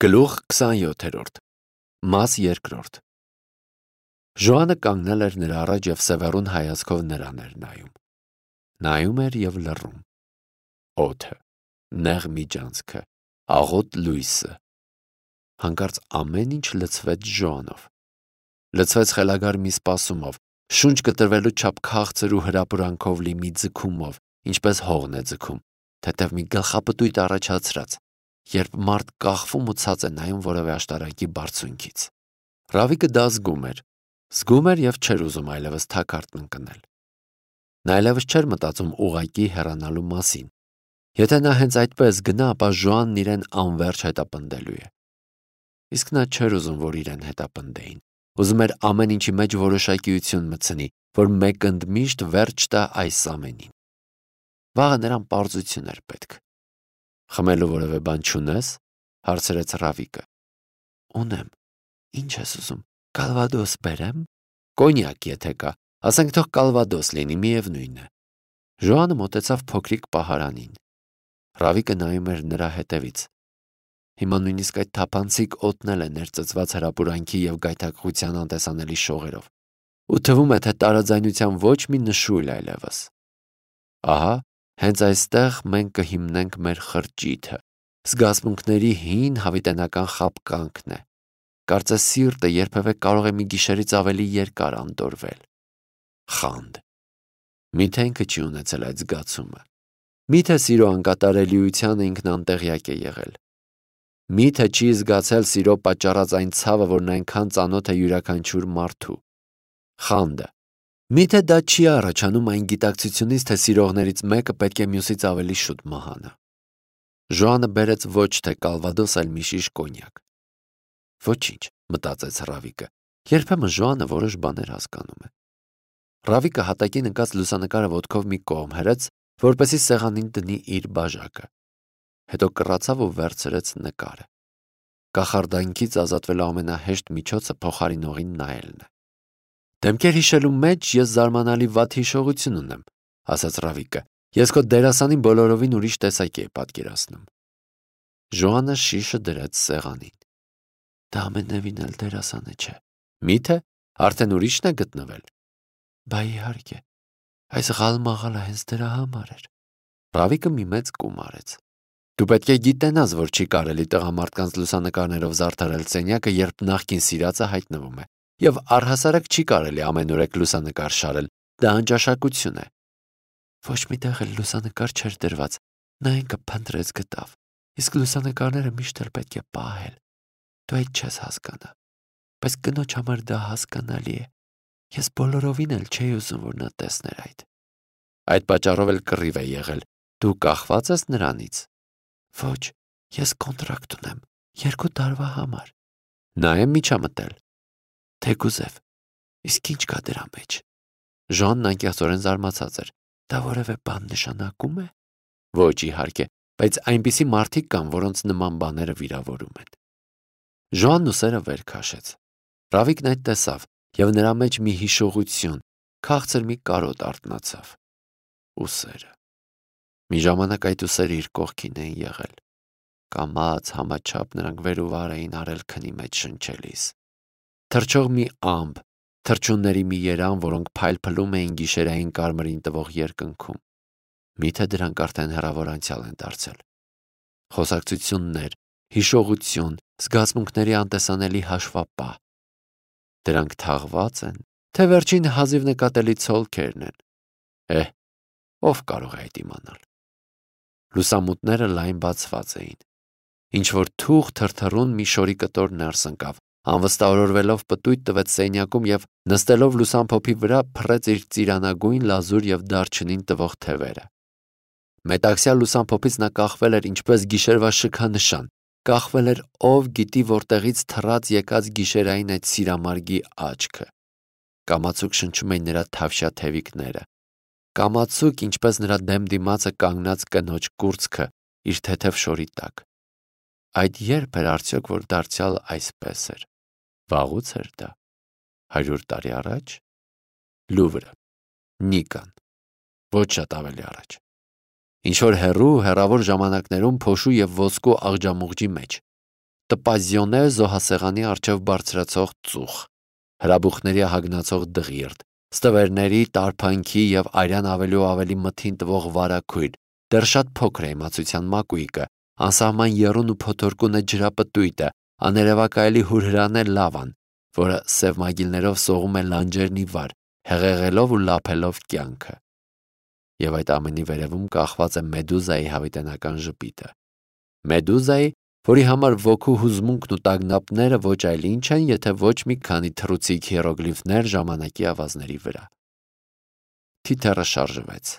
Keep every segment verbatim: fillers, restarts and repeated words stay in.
Գլուխ քսանյոթերորդ Մաս երկրորդ Ժոանը կանգնել էր նրա առաջ և սևեռուն հայացքով նրան էր նայում։ Նայում էր և լռում։ Օդը, նեղ միջանցքը, աղոտ լույսը։ Հանկարծ ամեն ինչ լցվեց Ժոանով։ Լցվեց խելագար մի սպասումով, շունչ կտրվելու չափ քաղցր ու հրապուրանքով լի մի ձգումով, ինչպես հողն է ձգում, թեթև մի գլխապտույտ առաջացրած, երբ մարդ կախվում ու ցած է նայում որևէ աշտարակի բարձունքից։ Ռավիկը դա զգում էր, զգում էր և չէր ուզում այլևս թակարդն ընկնել։ Նա այլևս չէր մտածում ուղղակի հեռանալու մասին։ Եթե նա հենց այդպես գնա, ապա Ժոանն իրեն անվերջ հետապնդելու է։ Իսկ նա չէր ուզում, որ իրեն հետապնդեին։ Ուզում էր ամեն ինչի մեջ որոշակիություն մտցնի, որ մեկընդմիշտ վերջ տա այս ամենին։ Վաղը նրան պարզություն էր պետք։ Խմելու որևէ բան չունես, հարցրեց Ռավիկը։ Ունեմ։ Ինչ ես ուզում, կալվադոս բերեմ։ Կոնյակ եթե կա, ասենք թող կալվադոս լինի, միևնույն է։ Ժոանը մոտեցավ փոքրիկ պահարանին։ Ռավիկը նայում էր նրա հետևից։ Հիմա նույնիսկ այդ թափանցիկ օդն էլ է ներծծված հրապուրանքի և գայթակղության անտեսանելի շողերով, ու թվում է, թե տարաձայնության ոչ մի նշույլ այլևս։ Ահա, հենց այստեղ մենք կհիմնենք մեր խրճիթը։ Զգացմունքների հին հավիտենական խաբկանքն է։ Կարծես սիրտը երբևէ կարող է մի գիշերից ավելի երկար անդորվել։ Խանդ։ Միթե ինքը չի ունեցել այդ զգացումը։ Միթե սիրո անկատարելիությանը ինքն անտեղյակ է եղել։ Միթե չի զգացել սիրո պատճառած այն ցավը, որն այնքան ծանոթ է յուրաքանչյուր մարդու։ Խանդը։ Միթե դա չի առաջանում այն գիտակցությունից, թե սիրողներից մեկը պետք է մյուսից ավելի շուտ մահանա։ Ժոանը բերեց ոչ թե կալվադոս, այլ մի շիշ կոնյակ։ Ոչինչ, մտածեց Ռավիկը, երբեմն Ժոանը որոշ բաներ հասկանում է։ Ռավիկը հատակին ընկած լուսանկարը ոտքով մի կողմ հրեց, որպեսզի սեղանին դնի իր բաժակը։ Հետո կռացավ ու վերցրեց նկարը։ Կախարդանքից ազատվելու ամենահեշտ միջոցը փոխարինողին նայելն է։ Դեմքեր հիշելու մեջ ես զարմանալի վատ հիշողություն ունեմ, ասաց Ռավիկը։ Ես քո դերասանին բոլորովին ուրիշ տեսակ էի պատկերացնում։ Ժոանը շիշը դրեց սեղանին։ Դա ամենևին էլ դերասանը չէ։ Միթե արդեն ուրիշն է գտնվել։ Բա իհարկե, այս ղալմաղալը հենց դրա համար էր։ Ռավիկը մի մեծ կում արեց։ Դու պետք է գիտենաս, որ չի կարելի տղամարդկանց լուսանկարներով զարդարել սենյակը, երբ նախկին սիրածը հայտնվում է, և առհասարակ չի կարելի ամենուրեք լուսանկար շարել, դա անճաշակություն է։ Ոչ մի տեղ էլ լուսանկար չէր դրված, նա ինքը փնտրեց գտավ, իսկ լուսանկարները միշտ էլ պետք է պահել։ Դու այդ չես հասկանա, բայց կնոջ համար դա հասկանալի է։ Ես բոլորովին էլ չէի ուզում, որ նա տեսներ այդ։ Այդ պատճառով էլ կռիվ է եղել։ Դու կախված ես նրանից։ Ոչ, ես կոնտրակտ ունեմ, երկու տարվա համար։ Նա է միջամտել։ Թեկուզև, իսկ ինչ կա դրա մեջ։ Ժոանն անկեղծորեն զարմացած էր։ Դա որևէ բան նշանակում է։ Ոչ, իհարկե, բայց այնպիսի մարդիկ կան, որոնց նման բաները վիրավորում են։ Ժոանն ուսերը վեր քաշեց։ Ռավիկն այդ տեսավ, և նրա մեջ մի հիշողություն, քաղցր մի կարոտ արթնացավ։ Ուսերը։ Մի ժամանակ այդ ուսերը իր կողքին էին եղել։ Կամաց համաչափ նրանք վեր ու վար էին արել քնի մեջ շնչելիս։ Թռչող մի ամպ, թռչունների մի երամ, որոնք փայլփլում էին գիշերային կարմրին տվող երկնքում։ Միթե դրանք արդեն հեռավոր անցյալ են դարձել։ Խոսակցություններ, հիշողություն, զգացմունքների անտեսանելի հաշվապահ։ Դրանք թաղված են, թե վերջին հազիվ նկատելի ցոլքերն են։ Էհ, ով կարող է այդ իմանալ։ Լուսամուտները լայն բացված էին։ Ինչ-որ թուղ թրթռուն մի շորի կտոր ներս ընկավ, անվստահորորվելով պտույտ տվեց սենյակում և նստելով լուսամփոփի վրա փռեց իր ծիրանագույն, լազուր և դարչնին տվող թևերը։ Մետաքսյա լուսամփոփից նա կախվել էր ինչպես գիշերվա շքանշան, կախվել էր ով գիտի որտեղից թռած եկած գիշերային այդ սիրամարգի աչքը։ Կամացուկ շնչում էին նրա թավշյա թևիկները։ Կամացուկ, ինչպես նրա դեմ դիմացը կանգնած կնոջ կուրծքը իր թեթև շորի տակ։ Այդ երբ էր արդյոք, որ դարձյալ այսպես էր։ Վաղուց էր դա։ Հարյուր տարի առաջ։ Լուվրը։ Նիկան։ Ոչ շատ ավելի առաջ։ Ինչ-որ հեռու, հեռավոր ժամանակներում փոշու և ոսկու աղջամուղջի մեջ։ տպազիոնե զոհասեղանի առջև բարձրացող ծուխ, հրաբուխների հագնացող դղիրդ, ստվերների, տարփանքի և արյան ավելի ու ավելի մթին տվող վարագույր, դեռ շատ փոքր է իմացության մակույկը, անսահման եռուն ու փոթորկուն է ջրապտույտը, աներևակայելի հուրհրան է լավան, որը սև մագիլներով սողում է լանջերն ի վար, հեղեղելով ու լափելով կյանքը։ Եվ այդ ամենի վերևում կախված է Մեդուզայի հավիտենական ժպիտը։ Մեդուզայի, որի համար ոգու հուզմունքն ու տագնապները ոչ այլ ինչ են, եթե ոչ մի քանի թռուցիկ հիերոգլիֆներ ժամանակի ավազների վրա։ Թիթեռը շարժվեց,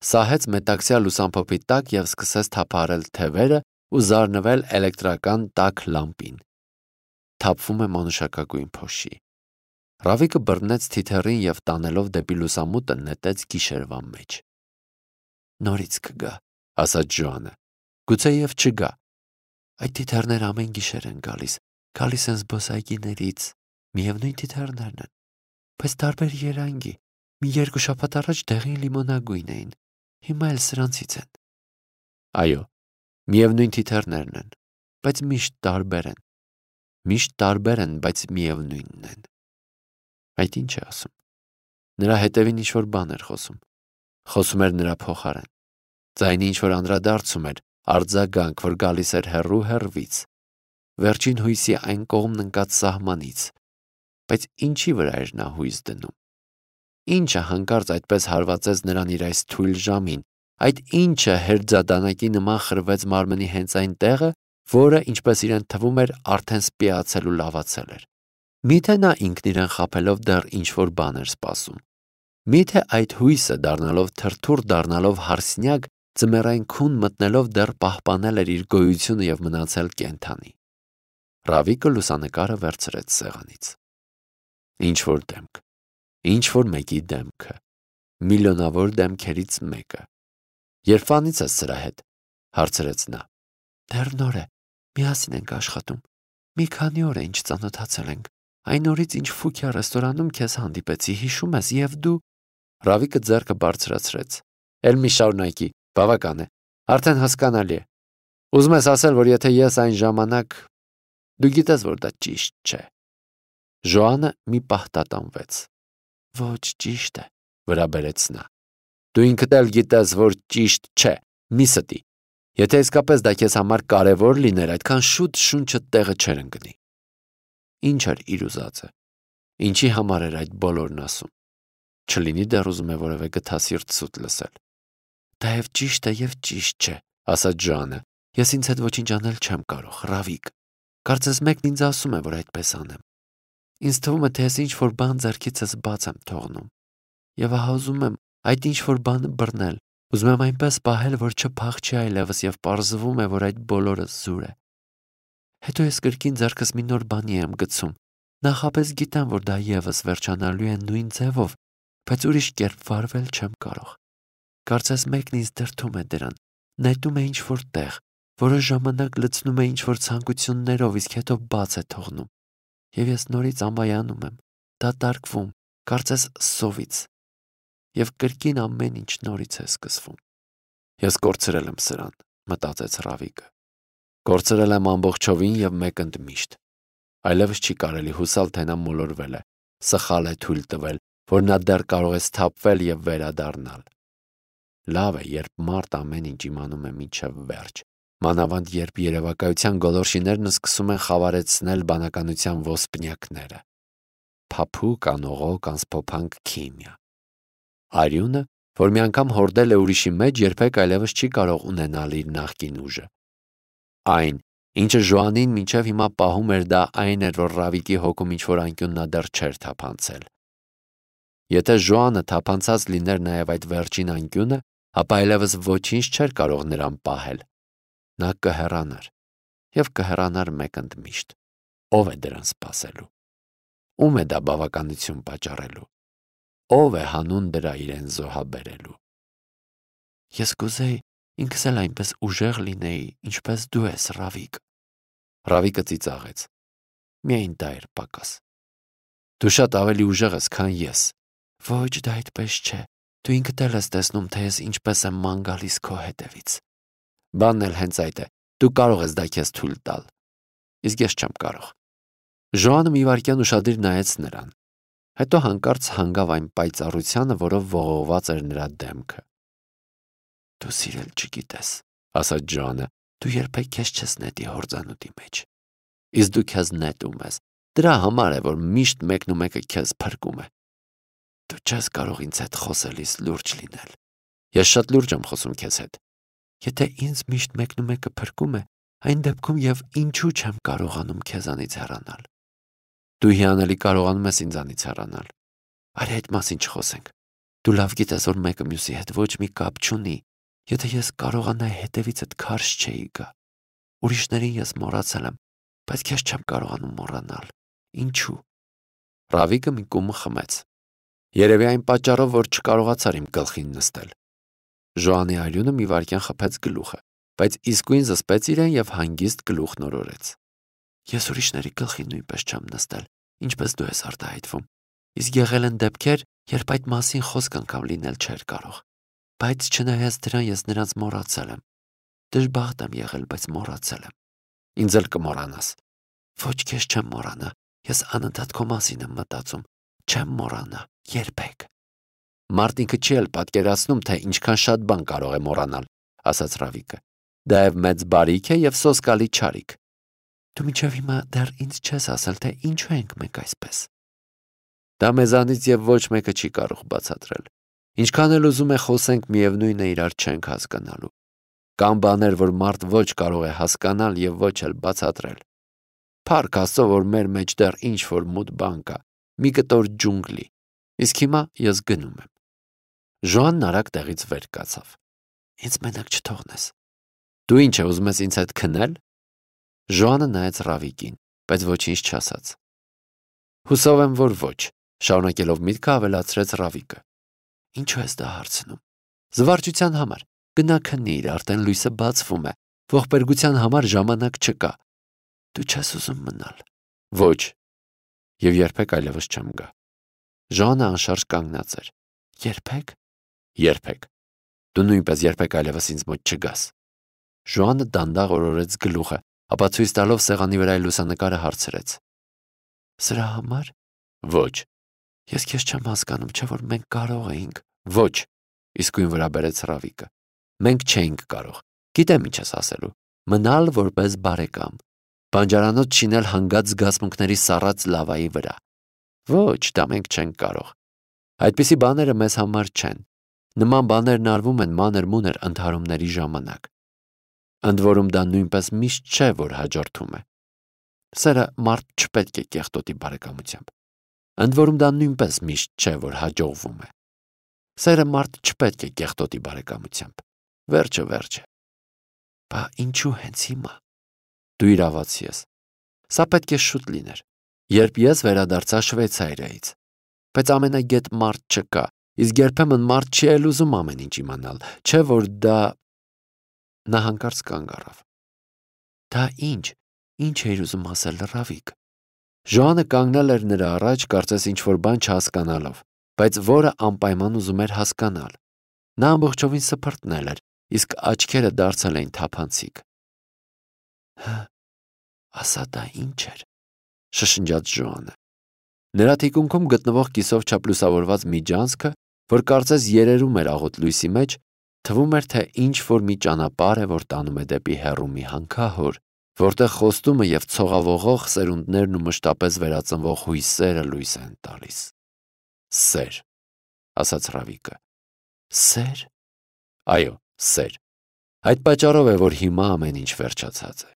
սահեց մետաքսյա լուսամփոփի տակ և սկսեց թափահարել թևերը ու զարնվել էլեկտրական տաք լամպին։ Թափվում է մանուշակագույն փոշի։ Ռավիկը բռնեց թիթեռին և տանելով դեպի լուսամուտը նետեց գիշերվա մեջ։ Նորից կգա, ասաց Ժոանը։ Գուցե և չգա։ Այդ թիթեռները ամեն գիշեր են գալիս, գալիս են զբոսայգիներից, միևնույն թիթեռներն են, բայց տարբեր երանգի։ Մի երկու շաբաթ առաջ դեղին լիմոնագույն էին, հիմա էլ սրանցից են։ Այո, միևնույն թիթեռներն են, բայց միշտ տարբեր են։ Միշտ տարբեր են, բայց միևնույնն են։ Այդ ինչ է ասում։ Նրա հետևին ինչ-որ բան էր խոսում։ Խոսում էր նրա փոխարեն։ Ձայնի ինչ-որ անդրադարձում էր, արձագանք, որ գալիս էր հեռու հեռվից, վերջին հույսի այն կողմն ընկած սահմանից, բայց ինչի վրա էր նա հույս դնում։ Ինչը հանկարծ այդպես հարվածեց նրան իր այս թույլ ժամին, այդ ինչը հերձադանակի նման խրվեց մարմնի հենց այն տեղը, որը, ինչպես իրեն թվում էր, արդեն սպիացել ու լավացել էր։ Միթե նա ինքն իրեն խաբելով դեռ ինչ-որ բան էր սպասում։ Միթե այդ հույսը, դառնալով թրթուր, դառնալով հարսնյակ, ձմեռային քուն մտնելով դեռ պահպանել էր իր գոյությունը և մնացել կենդանի։ Ռավիկը լուսանկարը վերցրեց սեղանից։ Ինչ-որ դեմք, ինչ-որ մեկի դեմքը, միլիոնավոր դեմքերից մեկը։ Երբանից ես սրա հետ, հարցրեց նա։ Դեռ նոր է, միասին ենք աշխատում։ Մի քանի օր է ինչ ծանոթացել ենք։ Այն օրից, ինչ Ֆուքիա ռեստորանում քեզ հանդիպեցի, հիշում ես, և դու… Ռավիկը ձեռքը բարձրացրեց։ Էլ մի շարունակի, բավական է, արդեն հասկանալի է։ Ուզում ես ասել, որ եթե ես այն ժամանակ… Դու գիտես, որ դա ճիշտ չէ։ Ժոանը մի պահ տատանվեց։ Ոչ, ճիշտ է, վրա բերեց նա։ Դու ինքդ էլ գիտես, որ ճիշտ չէ, մի ստի։ Եթե իսկապես դա քեզ համար կարևոր լիներ, այդքան շուտ շունչդ տեղը չէր ընկնի։ Ինչ էր իր ուզածը։ Ինչի համար էր այդ բոլորն ասում։ Չլինի դեռ ուզում է որևէ գթասիրտ սուտ լսել։ Դա և ճիշտ է, և ճիշտ չէ, ասաց Ժոանը։ Ես ինձ հետ ոչինչ անել չեմ կարող, Ռավիկ։ Կարծես մեկն ինձ ասում է, որ այդպես անեմ։ Ինձ թվում է, թե ես ինչ-որ բան ձեռքիցս բաց եմ թողնում։ Եվ ահա ուզում եմ այդ ինչ-որ բանը բռնել, ուզում եմ այնպես պահել, որ չփախչի այլևս, և պարզվում է, որ այդ բոլորը զուր է։ Հետո ես կրկին ձեռքս մի նոր բանի եմ գցում։ Նախապես գիտեմ, որ դա ևս վերջանալու է նույն ձևով, բայց ուրիշ կերպ վարվել չեմ կարող։ Կարծես մեկն ինձ դրդում է դրան, նետում է ինչ-որ տեղ, որոշ ժամանակ լցնում է ինչ-որ ցանկություններով, իսկ հետո բաց է թողնում։ Եվ ես նորից ամայանում եմ, դատարկվում, կարծես սովից։ Եվ կրկին ամեն ինչ նորից է սկսվում։ Ես կորցրել եմ սրան, մտածեց Ռավիկը։ Կորցրել եմ ամբողջովին և մեկընդմիշտ։ Այլևս չի կարելի հուսալ, թե նա մոլորվել է, սխալ է թույլ տվել, որ նա դեռ կարող է սթափվել և վերադառնալ։ Լավ է, երբ մարդ ամեն ինչ իմանում է մինչև վերջ, մանավանդ երբ երևակայության գոլորշիներն սկսում են խավարեցնել բանականության ոսպնյակները։ Փափուկ, անողոք, անսփոփանք քիմիա։ Արյունը, որ մի անգամ հորդել է ուրիշի մեջ, երբեք այլևս չի կարող ունենալ իր նախկին ուժը։ Այն, ինչը Ժոանին մինչև հիմա պահում էր, դա այն էր, որ Ռավիկի հոգում ինչ-որ անկյուն նա դեռ չէր թափանցել։ Եթե Ժոանը թափանցած լիներ նաև այդ վերջին անկյունը, ապա այլևս ոչինչ չէր կարող նրան պահել։ Նա կհեռանար, և կհեռանար մեկընդմիշտ։ Ո՞վ է դրան սպասելու։ Ո՞ւմ է դա բավականություն պատճառելու։ Ո՞վ է հանուն դրա իրեն զոհաբերելու։ Ես կուզեի ինքս էլ այնպես ուժեղ լինեի, ինչպես դու ես, Ռավիկ։ Ռավիկը ծիծաղեց։ Միայն դա էր պակաս։ Դու շատ ավելի ուժեղ ես, քան ես։ Ոչ, դա այդպես չէ։ Դու ինքդ էլ ես տեսնում, թե ես ինչպես եմ ման գալիս քո հետևից։ Բանն էլ հենց այդ է։ Դու կարող ես դա քեզ թույլ տալ։ իսկ ես չեմ կարող։ Ժոանը մի վայրկյան ուշադիր նայեց նրան, հետո հանկարծ հանգավ այն պայծառությանը, որով ողողված էր նրա դեմքը։ Դու սիրել չգիտես, ասաց Ժոանը, դու երբեք քեզ չես նետի հորձանուտի մեջ։ Իսկ դու քեզ նետում ես, դրա համար է, որ միշտ մեկն ու մեկը քեզ փրկում է։ Դու չես կարող ինձ հետ խոսելիս լուրջ լինել։ Ես շատ լուրջ եմ խոսում քեզ հետ։ Եթե ինձ միշտ մեկն ու մեկը փրկում է, այն դեպքում եւ ինչու չեմ կարողանում քեզանից հեռանալ։ Դու հիանալի կարողանում ես ինձանից հեռանալ։ Արի այդ մասին չխոսենք։ Դու լավ գիտես, որ մեկը մյուսի հետ ոչ մի կապ չունի։ Եթե ես կարողանայի հետևիցդ քարշ չէի գա։ Ուրիշներին ես մոռացել եմ, բայց քեզ չեմ կարողանում մոռանալ։ Ինչու։ Ռավիկը մի կում խմեց։ Երևի այն պատճառով, որ չկարողացար իմ գլխին նստել։ Ժոանի արյունը մի վայրկյան խփեց գլուխը, բայց իսկույն զսպեց իրեն եւ հանգիստ գլուխ նորորեց։ Ես ուրիշների գլխին նույնպես չեմ նստել, ինչպես դու ես արտահայտվում։ Իսկ եղել են դեպքեր, երբ այդ մասին խոսք անգամ լինել չէր կարող։ Բայց չնայած դրան ես նրանց մոռացել եմ։ Դժբախտ եմ եղել, բայց մոռացել եմ։ Ինձ էլ կմոռանաս։ Ոչ, քեզ չեմ մոռանա։ Ես անընդհատ քո մասին եմ մտածում։ Չեմ մոռանա, երբեք։ Մարդ ինքը չի էլ պատկերացնում, թե ինչքան շատ բան կարող է մոռանալ, ասաց Ռավիկը։ Դա եւ մեծ բարիք է եւ սոսկալի չարիք։ Դու մինչև հիմա դեռ ինձ չես ասել, թե ինչու ենք մենք այսպես։ Դա մեզանից եւ ոչ մեկը չի կարող բացատրել։ Ինչքան էլ ուզում է խոսենք, միևնույն է իրար չենք հասկանալու։ Կան բաներ, որ մարդ ոչ կարող է հասկանալ եւ ոչ էլ բացատրել։ Փառք Աստծո, որ մեր մեջ դեռ ինչ որ մութ բան կա, մի կտոր ջունգլի։ Իսկ հիմա ես գնում եմ։ Ժոանն արագ տեղից վեր կացավ։ Ինձ մենակ չթողնես։ Դու ինչ է ուզում ես ինձ հետ քնել։ Ժոանը նայեց Ռավիկին, բայց ոչինչ չասաց։ Հուսով եմ, որ ոչ, շարունակելով միտքը ավելացրեց Ռավիկը։ Ինչու ես դա հարցնում։ Զվարճության համար։ Գնա քնիր, արդեն լույսը բացվում է։ Ողբերգության համար ժամանակ չկա։ Դու չես ուզում մնալ։ Ոչ։ Եվ երբեք այլևս չեմ գա։ Ժոանը անշարժ կանգնած էր։ Երբեք։ Երբեք։ Դու նույնպես երբեք այլևս ինձ մոտ չգաս։ Ժոանը դանդաղ օրորեց գլուխը, ապա ցույց տալով սեղանի վրայի լուսանկարը հարցրեց. Սրա համար։ Ոչ։ Ես քեզ չեմ հասկանում, չէ՞ որ մենք կարող էինք։ Ոչ։ Իսկույն վրա բերեց Ռավիկը։ Մենք չէինք կարող։ Գիտեմ ինչ ես ասելու։ Մնալ որպես բարեկամ։ Բանջարանոց շինել հանգած զգացմունքների սառած լավայի վրա։ Ոչ, դա մենք չենք կարող։ Այդպիսի բաները մեզ համար չեն։ Նման բաներն արվում են մանր-մունր ընդհարումների ժամանակ։ Ընդ որում դա նույնպես միշտ չէ, որ հաջորդում է։ Սերը մարդ չպետք է կեղտոտի բարեկամությամբ։ Ընդ որում դա նույնպես միշտ չէ, որ հաջողվում է։ Սերը մարդ չպետք է կեղտոտի բարեկամությամբ։ Վերջը վերջ է։ Բա ինչու հենց հիմա։ Դու իրավացի ես։ Սա պետք է շուտ լիներ, երբ ես վերադարձա Շվեյցարիայից։ Բայց ամենագետ մարդ չկա, իսկ երբեմն մարդ չի էլ ուզում ամեն ինչ իմանալ, չէ՞ որ դա։ Նա հանկարծ կանգ առավ։ Դա ինչ, ինչ էր ուզում ասել Ռավիկ։ Ժոանը կանգնել էր նրա առաջ, կարծես ինչ-որ բան չհասկանալով, բայց որը անպայման ուզում էր հասկանալ։ Նա ամբողջովին սփռտնել էր, իսկ աչքերը դարձել էին թափանցիկ։ Հը, ասա դա ինչ էր, շշնջաց Ժոանը։ Նրա թիկունքում գտնվող կիսով չափ լուսավորված միջանցքը, որ կարծես երերում էր աղոտ լույսի մեջ, թվում էր, թե ինչ-որ մի ճանապարհ է, որ տանում է դեպի հեռու մի հանքահոր, որտեղ խոստումը եւ ցողավողող սերունդներն ու մշտապես վերածնվող հույսերը լույս են տալիս։ Սեր, ասաց Ռավիկը։ Սեր։ Այո, սեր։ Այդ պատճառով է, որ հիմա ամեն ինչ վերջացած է։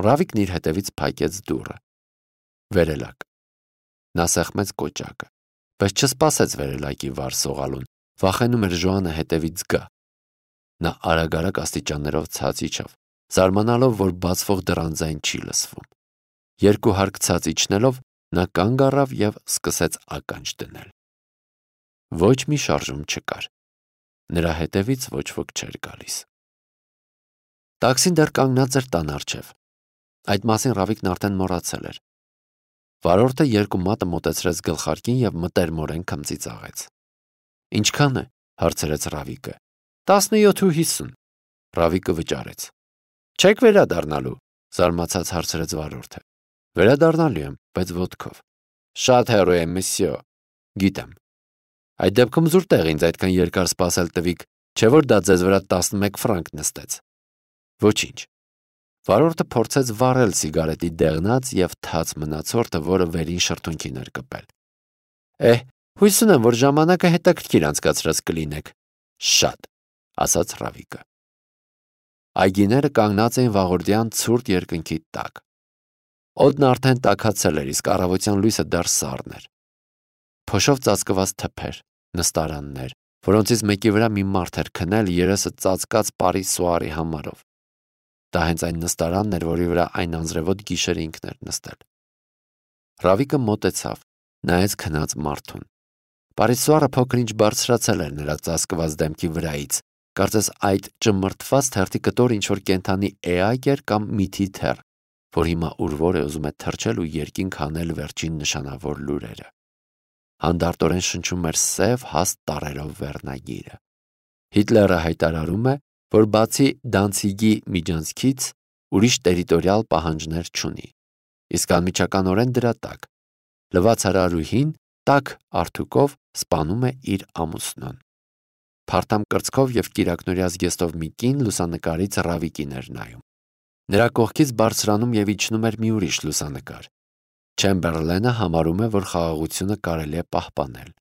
Ռավիկն իր հետևից փակեց դուռը։ Վերելակ։ Նա սեղմեց կոճակը, բայց չսպասեց վերելակի վար սողալուն, վախենում էր Ժոանը հետևից գա։ Նա արագ-արագ աստիճաններով ցած իջավ, զարմանալով, որ բացվող դռան ձայն չի լսվում։ Երկու հարկ ցած իջնելով նա կանգ առավ եւ սկսեց ականջ դնել։ Ոչ մի շարժում չկար։ Նրա հետևից ոչ ոք չէր գալիս։ Տաքսին դեռ կանգնած էր տան առջև։ Այդ մասին Ռավիկն արդեն մոռացել էր։ Վարորդը երկու մատը մոտեցրեց գլխարկին եւ մտերմորեն քմծիծաղեց։ Ինչքան է, հարցրեց Ռավիկը։ տասնյոթ ու հիսուն։ Ռավիկը վճարեց։ Չեք վերադառնալու։ Զարմացած հարցրեց վարորդը։ Վերադառնալու եմ, բայց ոտքով։ Շատ հեռու եմ, մսյո։ Գիտեմ։ Այդ դեպքում զուր տեղ ինձ այդքան երկար սպասել տվիք, չէ՞ որ դա ձեզ վրա տասնմեկ ֆրանկ նստեց։ Ոչինչ։ Վարորդը փորձեց վառել սիգարետի դեղնած եւ թաց մնացորդը, որը վերին շրթունքին էր կպել։ Էհ, հույս ունեմ, որ ժամանակը հետաքրքիր անցկացրած կլինեք։ Շատ, ասաց Ռավիկը։ Այգիները կանգնած էին վաղորդյան ցուրտ երկնքի տակ։ Օդն արդեն տաքացել էր, իսկ առավոտյան լույսը դեռ սառն էր։ Փոշով ծածկված թփեր, նստարաններ, որոնցից մեկի վրա մի մարդ էր քնել երեսը ծածկած Պարի Սուարի համարով։ Դա հենց այն նստարանն էր, որի վրա այն անձրևոտ գիշերը ինքն էր նստել։ Ռավիկը մոտեցավ, նայեց քնած մարդուն։ Պարի Սուարը փոքր-ինչ բարձրացել էր նրա ծածկված դեմքի վրայից, կարծես այդ ճմրթված թերթի կտոր ինչ-որ կենդանի էակ էր կամ միթի թեռ, որ հիմա ուր-որ է ուզում է թռչել ու երկինք հանել վերջին նշանավոր լուրերը։ Հանդարտորեն շնչում էր սև հաստ տառերով վերնագիրը։ Հիտլերը հայտարարում է, որ բացի Դանցիգի միջանցքից ուրիշ տերիտորիալ պահանջներ չունի, իսկ անմիջականորեն դրա տակ լվացարարուհին տաք արթուկով սպանում է իր ամուսնուն։ Փարթամ կրծքով եւ կիրակնորյա զգեստով մի կին լուսանկարից Ռավիկին էր նայում։ Նրա կողքից բարձրանում եւ իջնում էր մի ուրիշ լուսանկար։ Չեմբերլենը համարում է, որ խաղաղությունը կարելի է պահպանել։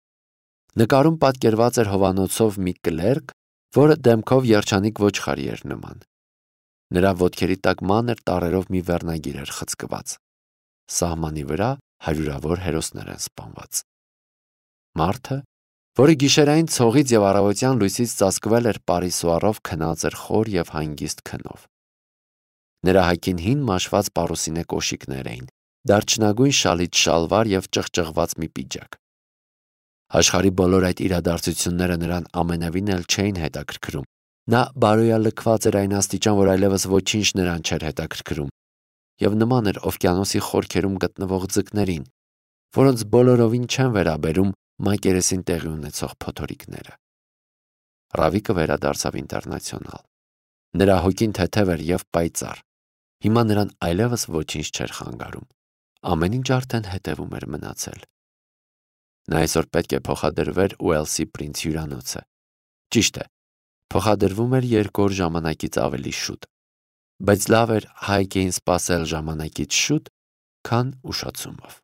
Նկարում պատկերված էր հովանոցով մի կլերկ, որը դեմքով երջանիկ ոչխարի էր նման։ Նրա ոտքերի տակ մանր տառերով մի վերնագիր էր խցկված։ Սահմանի վրա հարյուրավոր հերոսներ են սպանված։ Մարդը, որը գիշերային ցողից եւ առավոտյան լույսից ծածկվել էր Պարի Սուարով, քնած էր խոր եւ հանգիստ քնով։ Նրա հագին հին մաշված պարուսինե կոշիկներ էին, դարչնագույն շալիչ շալվար եւ ճղճղված մի պիջակ։ Աշխարհի բոլոր այդ իրադարձությունները նրան ամենևին էլ չէին հետաքրքրում։ Նա բարոյալքված էր այն աստիճան, որ այլևս ոչինչ նրան չէր հետաքրքրում, եւ նման էր օվկիանոսի խորքերում գտնվող ձկներին, որոնց բոլորովին չեն վերաբերում մակերեսին տեղի ունեցող փոթորիկները։ Ռավիկը վերադարձավ Ինտերնացիոնալ։ Նրա հոգին թեթև էր եւ պայծառ։ Հիմա նրան այլևս ոչինչ չէր խանգարում։ Ամեն ինչ արդեն հետևում էր մնացել։ Նա այսօր պետք է փոխադրվեր Ուելսի Պրինց հյուրանոցը։ Ճիշտ է, փոխադրվում էր երկու օր ժամանակից ավելի շուտ, բայց լավ էր հայք էին սպասել ժամանակից շուտ, քան ուշացումով։